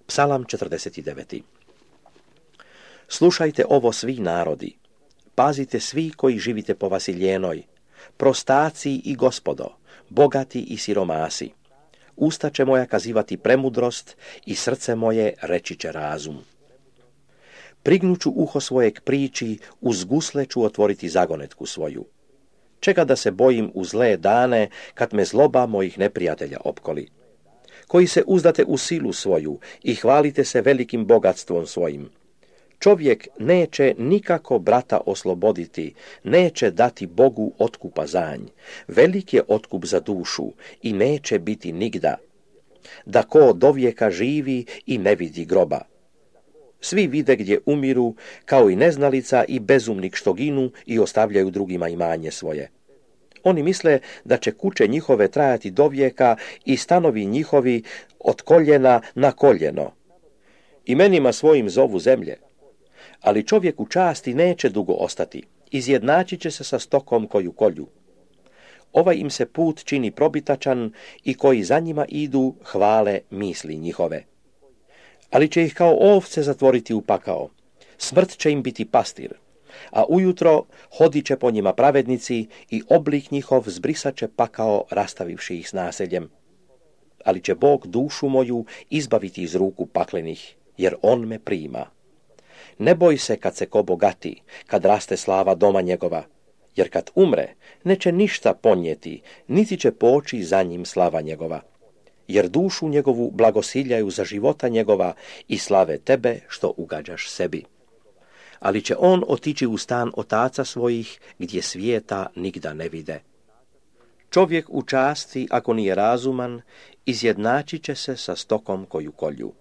Psalam 49. Slušajte ovo svi narodi, pazite svi koji živite po Vasiljenoj, prostaci i gospodo, bogati i siromasi. Usta će moja kazivati premudrost i srce moje reći će razum. Prignuću uho svojeg priči, uz gusle ću otvoriti zagonetku svoju. Čega da se bojim u zle dane, kad me zloba mojih neprijatelja opkoli? Koji se uzdate u silu svoju i hvalite se velikim bogatstvom svojim. Čovjek neće nikako brata osloboditi, neće dati Bogu otkupa zanj. Velik je otkup za dušu i neće biti nigda. Da ko dovijeka živi i ne vidi groba. Svi vide gdje umiru, kao i neznalica i bezumnik što ginu i ostavljaju drugima imanje svoje. Oni misle da će kuće njihove trajati dovijeka i stanovi njihovi od koljena na koljeno. Imenima svojim zovu zemlje. Ali čovjek u časti neće dugo ostati, izjednačit će se sa stokom koju kolju. Ovaj im se put čini probitačan i koji za njima idu hvale misli njihove. Ali će ih kao ovce zatvoriti u pakao, smrt će im biti pastir, a ujutro hodit će po njima pravednici i oblik njihov zbrisat će pakao rastavivši ih s naseljem. Ali će Bog dušu moju izbaviti iz ruku paklenih, jer on me prima. Ne boj se kad se ko bogati, kad raste slava doma njegova, jer kad umre, neće ništa ponijeti, niti će poći za njim slava njegova. Jer dušu njegovu blagosiljaju za života njegova i slave tebe što ugađaš sebi. Ali će on otići u stan otaca svojih, gdje svijeta nigda ne vide. Čovjek u časti, ako nije razuman, izjednačit će se sa stokom koju kolju.